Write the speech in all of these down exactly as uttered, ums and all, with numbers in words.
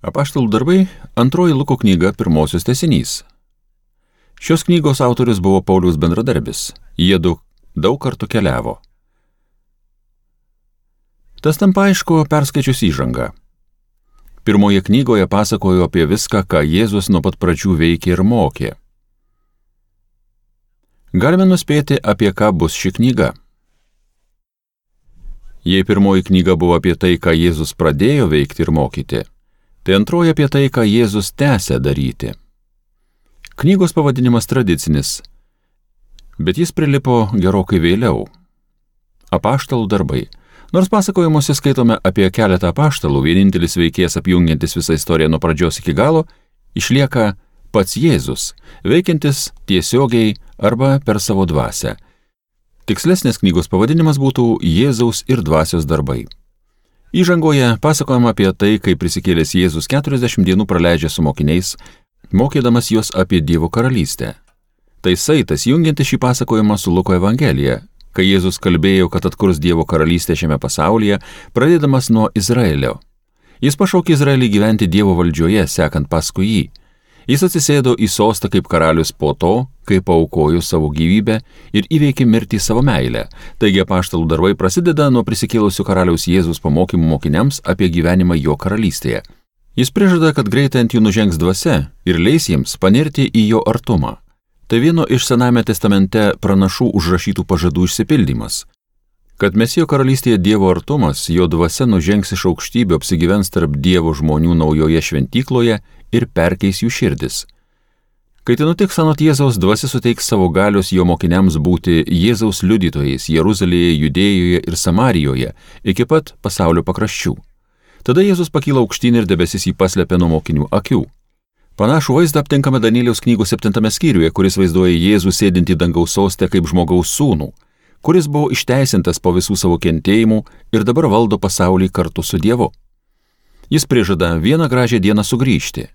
Apaštalų darbai – antroji Luko knyga, pirmosios tęsinys. Šios knygos autorius buvo Pauliaus bendradarbis. Jie daug, daug kartų keliavo. Tas tampa aišku perskaičius įžangą. Pirmoje knygoje pasakojo apie viską, ką Jėzus nuo pat pradžių veikė ir mokė. Galime nuspėti, apie ką bus ši knyga. Jei pirmoji knyga buvo apie tai, ką Jėzus pradėjo veikti ir mokyti, tai antroji apie tai, ką Jėzus tęsia daryti. Knygos pavadinimas tradicinis, bet jis prilipo gerokai vėliau. Apaštalų darbai. Nors pasakojimuose skaitome apie keletą apaštalų, vienintelis veikėjas apjungiantis visą istoriją nuo pradžios iki galo, išlieka pats Jėzus, veikiantis tiesiogiai arba per savo dvasią. Tikslesnis knygos pavadinimas būtų Jėzaus ir dvasios darbai. Įžangoje pasakojama apie tai, kaip prisikėlęs Jėzus keturiasdešimt dienų praleidžia su mokiniais, mokydamas juos apie Dievo karalystę. Tai saitas jungiantis šį pasakojimą su Luko Evangelija, kai Jėzus kalbėjo, kad atkurs Dievo karalystę šiame pasaulyje, pradėdamas nuo Izraelio. Jis pašaukė Izraelį gyventi Dievo valdžioje, sekant paskui jį. Jis atsisėdo į sostą kaip karalius po to, kai paaukojo savo gyvybę ir įveikė mirtį savo meilę. Taigi apaštalų darbai prasideda nuo prisikėlusio karaliaus Jėzus pamokymų mokiniams apie gyvenimą jo karalystėje. Jis prižada, kad greitai ant jų nužengs dvasia ir leis jiems panirti į jo artumą. Tai vieno iš Senajame testamente pranašų užrašytų pažadų išsipildymas. Kad Mesijo karalystėje Dievo artumas, jo dvasia nužengs iš aukštybių, apsigyvens tarp Dievo žmonių naujoje šventykloje ir perkeis jų širdis. Kai tai nutiks, anot Jėzaus, dvasia suteiks savo galios jo mokiniams būti Jėzaus liudytojais Jeruzalėje, Judėjoje ir Samarijoje, iki pat pasaulio pakraščių. Tada Jėzus pakyla aukštyn ir debesis jį paslėpė nuo mokinių akių. Panašų vaizdą aptinkame Danieliaus knygos septintame skyriuje, kuris vaizduoja Jėzų sėdintį dangaus soste kaip žmogaus sūnų, kuris buvo išteisintas po visų savo kentėjimų ir dabar valdo pasaulį kartu su Dievu. Jis prižada vieną gražią dieną sugrįžti.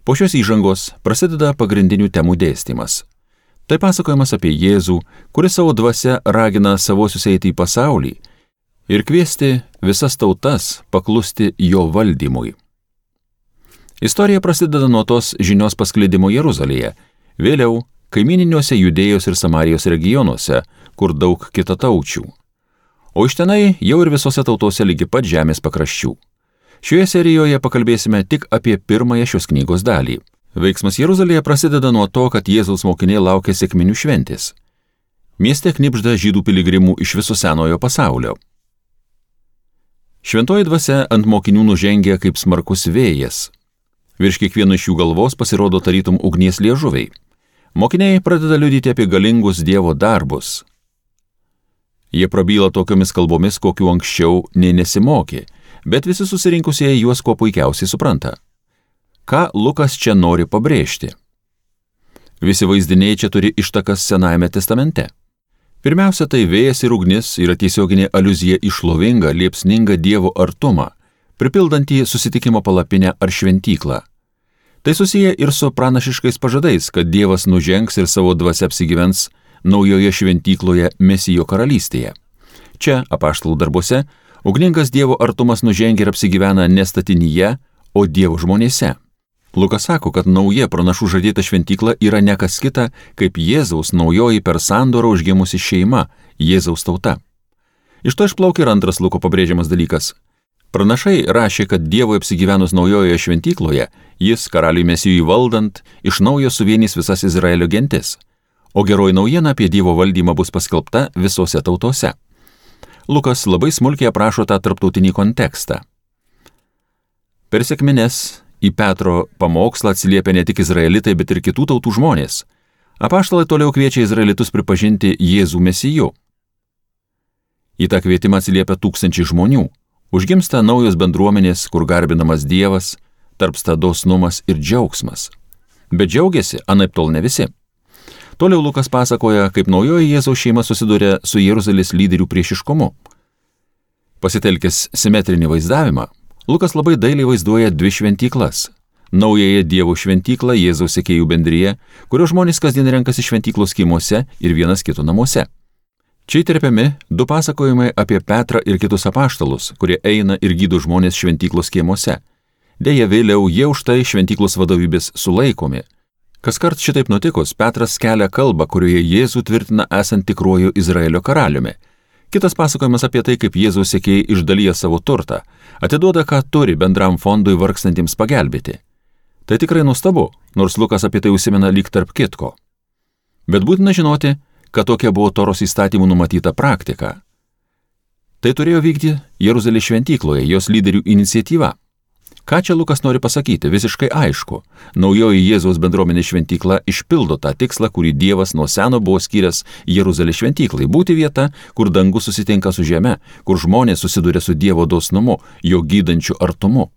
Po šios įžangos prasideda pagrindinių temų dėstymas. Tai pasakojimas apie Jėzų, kuris savo dvasia ragina savosius eiti į pasaulį ir kviesti visas tautas paklusti jo valdymui. Istorija prasideda nuo tos žinios pasklidimo Jeruzalėje, vėliau kaimininiuose Judėjos ir Samarijos regionuose, kur daug kitataučių. O iš tenai jau ir visose tautose lygi pat žemės pakraščių. Šioje serijoje pakalbėsime tik apie pirmąją šios knygos dalį. Veiksmas Jeruzalėje prasideda nuo to, kad Jėzaus mokiniai laukia sekminių šventės. Mieste knibžda žydų piligrimų iš viso senojo pasaulio. Šventoji dvasia ant mokinių nužengia kaip smarkus vėjas. Virš kiekvieno iš jų galvos pasirodo tarytum ugnies liežuviai. Mokiniai pradeda liudyti apie galingus Dievo darbus. Jie prabyla tokiomis kalbomis, kokių anksčiau nei nesimokė, bet visi susirinkusieji juos kuo puikiausiai supranta. Ką Lukas čia nori pabrėžti? Visi vaizdiniai čia turi ištakas Senajame testamente. Pirmiausia, tai vėjas ir ugnis yra tiesioginė aliuzija į šlovingą, liepsningą Dievo artumą, pripildantį susitikimo palapinę ar šventyklą. Tai susiję ir su pranašiškais pažadais, kad Dievas nužengs ir savo dvasia apsigyvens naujoje šventykloje Mesijo karalystėje. Čia, apaštalų darbuose, ugningas Dievo artumas nužengia ir apsigyvena ne statinyje, o Dievo žmonėse. Lukas sako, kad nauja pranašų žadėta šventykla yra ne kas kita, kaip Jėzaus naujoji per sandorą užgimusi šeima, Jėzaus tauta. Iš to išplaukia ir antras Luko pabrėžiamas dalykas. Pranašai rašė, kad Dievui apsigyvenus naujojoje šventykloje, jis, karaliui Mesijui valdant, iš naujo suvienys visas Izraelio gentis, o geroji naujiena apie Dievo valdymą bus paskelbta visose tautose. Lukas labai smulkiai aprašo tą tarptautinį kontekstą. Per sekmines į Petro pamokslą atsiliepia ne tik izraelitai, bet ir kitų tautų žmonės. Apaštalai toliau kviečia izraelitus pripažinti Jėzų Mesiju. Į tą kvietimą atsiliepia tūkstančiai žmonių. Užgimsta naujos bendruomenės, kur garbinamas Dievas, tarpsta dosnumas ir džiaugsmas. Bet džiaugiasi anaiptol ne visi. Toliau Lukas pasakoja, kaip naujoji Jėzaus šeima susiduria su Jeruzalės lyderių priešiškumu. Pasitelkęs simetrinį vaizdavimą, Lukas labai dailiai vaizduoja dvi šventyklas. Naująją Dievo šventyklą Jėzaus sekėjų bendriją, kurio žmonės kasdien renkasi šventyklos kiemuose ir vienas kito namuose. Čia įterpiami du pasakojimai apie Petrą ir kitus apaštalus, kurie eina ir gydo žmonės šventyklos kiemuose. Deja, vėliau jie už tai šventyklos vadovybės sulaikomi. Kaskart šitaip nutikus, Petras kelia kalbą, kurioje Jėzų tvirtina esant tikruoju Izraelio karaliumi. Kitas pasakojimas apie tai, kaip Jėzaus sekėjai išdalyja savo turtą, atiduoda, ką turi bendram fondui vargstantiems pagelbėti. Tai tikrai nuostabu, nors Lukas apie tai užsimena lyg tarp kitko. Bet būtina žinoti, kad tokia buvo Toros įstatymų numatyta praktika. Tai turėjo vykti Jeruzalės šventykloje, jos lyderių iniciatyva. Ką čia Lukas nori pasakyti, visiškai aišku. Naujoji Jėzaus bendruomenės šventykla išpildo tą tikslą, kurį Dievas nuo seno buvo skyręs Jeruzalės šventyklai. Būti vieta, kur dangus susitinka su žeme, kur žmonės susiduria su Dievo dosnumu, jo gydančiu artumu.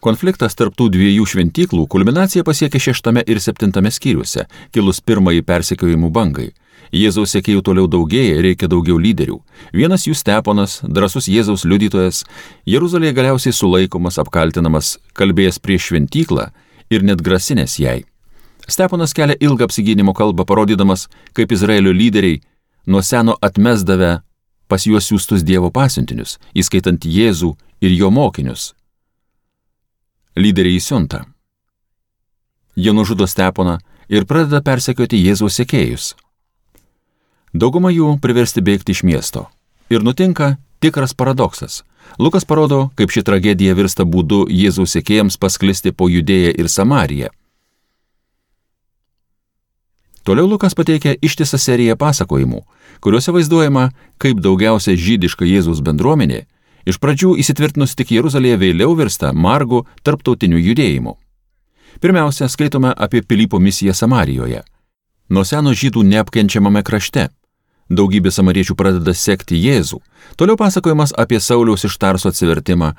Konfliktas tarp tų dviejų šventyklų kulminaciją pasiekė šeštame ir septintame skyriuose, kilus pirmąjį persekiojimų bangai. Jėzaus sekėjų toliau daugėja, reikia daugiau lyderių. Vienas jų Steponas, drąsus Jėzaus liudytojas, Jeruzalėje galiausiai sulaikomas, apkaltinamas, kalbėjęs prieš šventyklą ir net grasinęs jai. Steponas kelia ilgą apsigynimo kalbą, parodydamas, kaip Izraelio lyderiai nuo seno atmesdavę pas juos siųstus Dievo pasiuntinius, įskaitant Jėzų ir jo mokinius. Lyderiai įsiunta. Jie nužudo Steponą ir pradeda persekioti Jėzaus sekėjus. Dauguma jų priversti bėgti iš miesto. Ir nutinka tikras paradoksas. Lukas parodo, kaip ši tragedija virsta būdu Jėzaus sekėjams pasklisti po Judėją ir Samariją. Toliau Lukas pateikia ištisą seriją pasakojimų, kuriuose vaizduojama, kaip daugiausia žydiška Jėzaus bendruomenė iš pradžių įsitvirtinus tik Jeruzalėje vėliau virsta margu tarptautiniu judėjimu. Pirmiausia, skaitome apie Pilypo misiją Samarijoje. Nuo seno žydų neapkenčiamame krašte. Daugybė samariečių pradeda sekti Jėzų. Toliau pasakojimas apie Sauliaus iš Tarso atsivertimą.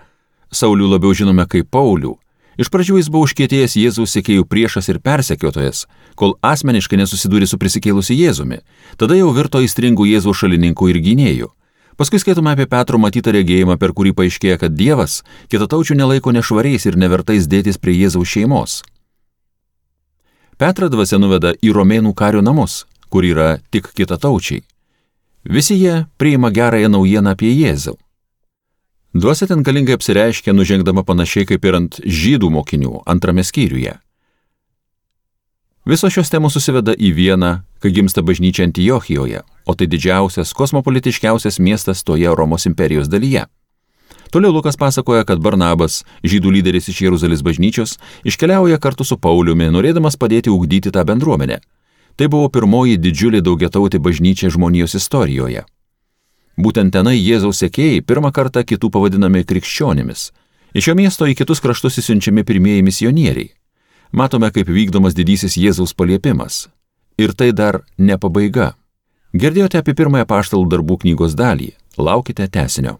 Saulių labiau žinome kaip Paulių. Iš pradžių jis buvo užkietėjęs Jėzaus sekėjų priešas ir persekiotojas, kol asmeniškai nesusidūrė su prisikėlusiu Jėzumi. Tada jau virto aistringų Jėzaus šalininkų ir gynėjų. Paskui skaitome apie Petro matytą regėjimą, per kurį paaiškėja, kad Dievas kitataučių nelaiko nešvariais ir nevertais dėtis prie Jėzaus šeimos. Petrą dvasia nuveda į romėnų kario namus, kur yra tik kitataučiai. Visi jie priima gerąją naujieną apie Jėzų. Dvasia ten galingai apsireiškia, nužengdama panašiai kaip ir ant žydų mokinių antrame skyriuje. Visos šios temos susiveda į vieną, kai gimsta bažnyčia Antiochijoje, o tai didžiausias, kosmopolitiškiausias miestas toje Romos imperijos dalyje. Toliau Lukas pasakoja, kad Barnabas, žydų lyderis iš Jeruzalės bažnyčios, iškeliauja kartu su Pauliumi, norėdamas padėti ugdyti tą bendruomenę. Tai buvo pirmoji didžiulė daugiatautė bažnyčia žmonijos istorijoje. Būtent tenai Jėzaus sekėjai pirmą kartą kitų pavadinami krikščionimis. Iš šio miesto į kitus kraštus įsiunčiami pirmieji misionieriai. Matome, kaip vykdomas didysis Jėzaus paliepimas. Ir tai dar ne pabaiga. Girdėjote apie pirmąją apaštalų darbų knygos dalį. Laukite tęsinio.